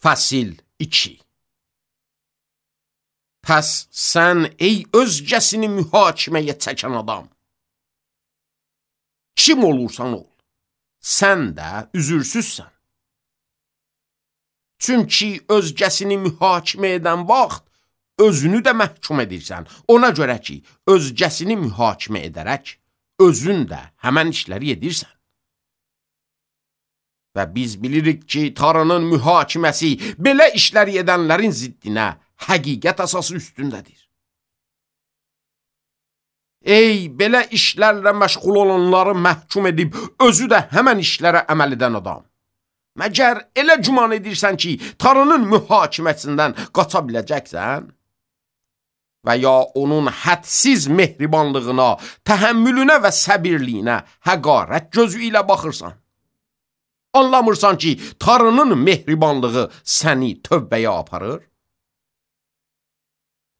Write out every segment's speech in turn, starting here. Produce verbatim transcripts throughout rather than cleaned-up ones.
Fəsil iki. Pəs sən ey özgəsini mühakiməyə çəkən adam, kim olursan ol, sən də üzürsüzsən. Çünki özgəsini mühakimə edən vaxt özünü də məhkum edirsən. Ona görə ki, özgəsini mühakimə edərək, özün də həmən işləri edirsən. Və biz bilirik ki, Tanrının mühakiməsi belə işləri edənlərin ziddinə həqiqət əsası üstündədir. Ey, belə işlərlə məşğul olanları məhkum edib, özü də həmən işlərə əməl edən adam. Məgər elə güman edirsən ki, Tanrının mühakiməsindən qaça biləcəksən? Və ya onun hədsiz mehribanlığına, təhəmmülünə və səbirliyinə həqarət gözü ilə baxırsan? Anlamırsan ki, Tanrının mehribanlığı səni tövbəyə aparır?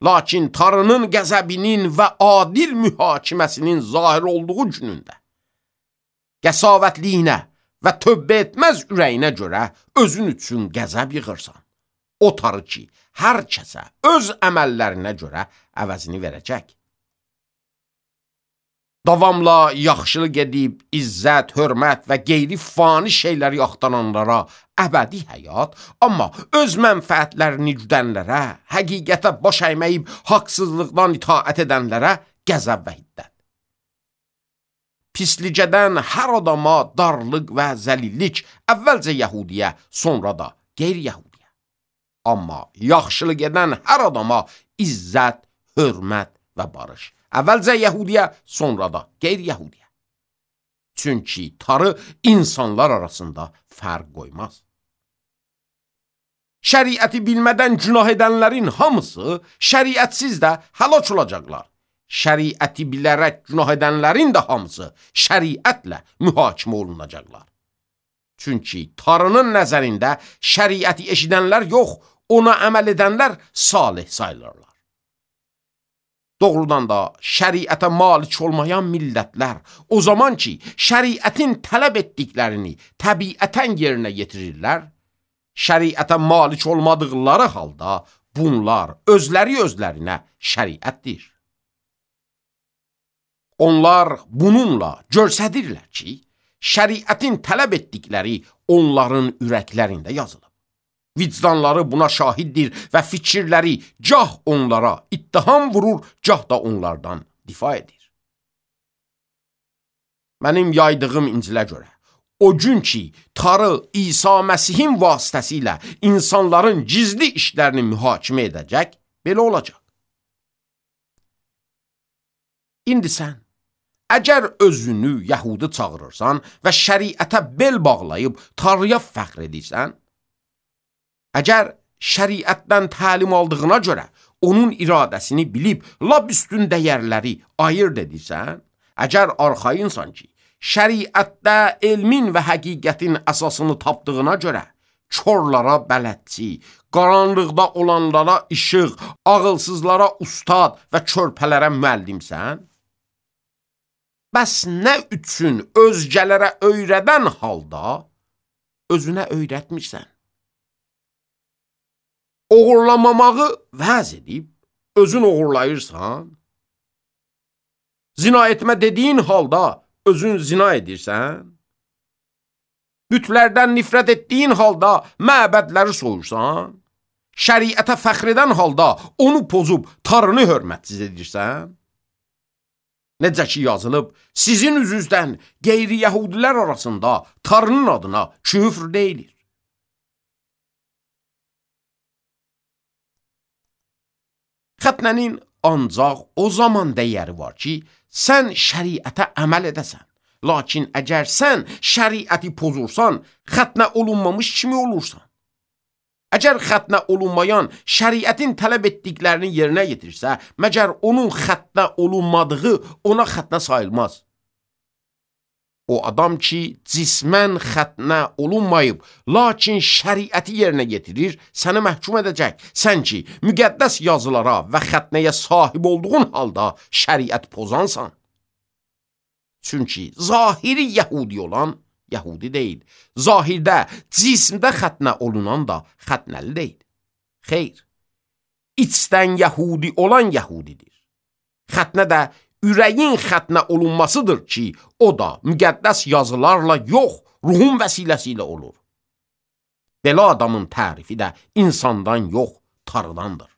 Lakin Tanrının qəzəbinin və adil mühakiməsinin zahir olduğu günündə, qəsavətliyinə və tövbə etməz ürəyinə görə özün üçün qəzəb yığırsan. O Tanrı ki, hər kəsə öz əməllərinə görə əvəzini verəcək. Davamla yaxşılıq edib, izzət, hörmət və qeyri fani şeyləri axtaranlara əbədi həyat, amma öz mənfəətlərini güdənlərə, həqiqətə baş əyməyib, haqsızlıqdan itaət edənlərə qəzəb və hiddət. Pislicədən hər adama darlıq və zəlillik, əvvəlcə Yəhudiyə, sonra da qeyri-Yəhudiyə. Amma yaxşılıq edən hər adama izzət, hörmət və barış. Əvvəlcə Yəhudiyə, sonra da qeyri-Yəhudiyə. Çünki Tanrı insanlar arasında fərq qoymaz. Şəriəti bilmədən günah edənlərin hamısı şəriətsiz də həlak olacaqlar. Şəriəti bilərək günah edənlərin də hamısı şəriətlə mühakimə olunacaqlar. Çünki Tanrının nəzərində şəriəti eşidənlər yox, ona əməl edənlər salih sayılırlar. Doğrudan da şəriətə malik olmayan millətlər o zaman ki, şəriətin tələb etdiklərini təbiətən yerinə yetirirlər, şəriətə malik olmadıqları halda bunlar özləri özlərinə şəriətdir. Onlar bununla göstərirlər ki, şəriətin tələb etdikləri onların ürəklərində yazılıb. Vicdanları buna şahiddir və fikirləri gah onlara ittiham vurur, gah da onlardan difa edir. Mənim yaydığım İncilə görə, o gün ki, Tanrı İsa Məsihin vasitəsilə insanların gizli işlərini mühakimə edəcək, belə olacaq. İndi sən, əgər özünü Yəhudi çağırırsan və şəriətə bel bağlayıb Tanrıya fəxr edirsən, əgər şəriətdən təlim aldığına görə onun iradəsini bilib, lap üstün dəyərləri ayırt edirsən, əgər arxayınsan ki, şəriətdə elmin və həqiqətin əsasını tapdığına görə, körlara bələdçi, qaranlıqda olanlara işıq, ağılsızlara ustad və körpələrə müəllimsən, bəs nə üçün özgələrə öyrədən halda özünə öyrətmirsən? Oğurlamamağı vəz edib, özün oğurlayırsan? Zina etmə dediyin halda özün zina edirsən? Bütlərdən nifrət etdiyin halda məbədləri soyursan? Şəriətə fəxr edən halda onu pozub Tanrını hörmətsiz edirsən? Necə ki yazılıb, sizin üzünüzdən qeyri-Yəhudilər arasında Tanrının adına küfr deyilir. Xətnənin ancaq o zaman dəyəri var ki, sən şəriətə əməl edəsən. Lakin əgər sən şəriəti pozursan, xətnə olunmamış kimi olursan. Əgər xətnə olunmayan şəriətin tələb etdiklərini yerinə yetirsə, məgər onun xətnə olunmadığı ona xətnə sayılmaz. O adam ki, cismən xətnə olunmayıb, lakin şəriəti yerinə yetirir, səni məhkum edəcək. Sən ki, müqəddəs yazılara və xətnəyə sahib olduğun halda şəriət pozansan. Çünki zahiri Yəhudi olan yəhudi deyil. Zahirdə, cismdə xətnə olunan da xətnəli deyil. Xeyr, içdən yəhudi olan yəhudidir. Xətnə də ürəyin xətnə olunmasıdır ki, o da müqəddəs yazılarla yox, ruhun vəsiləsi ilə olur. Belə adamın tərifi də insandan yox, Tanrıdandır.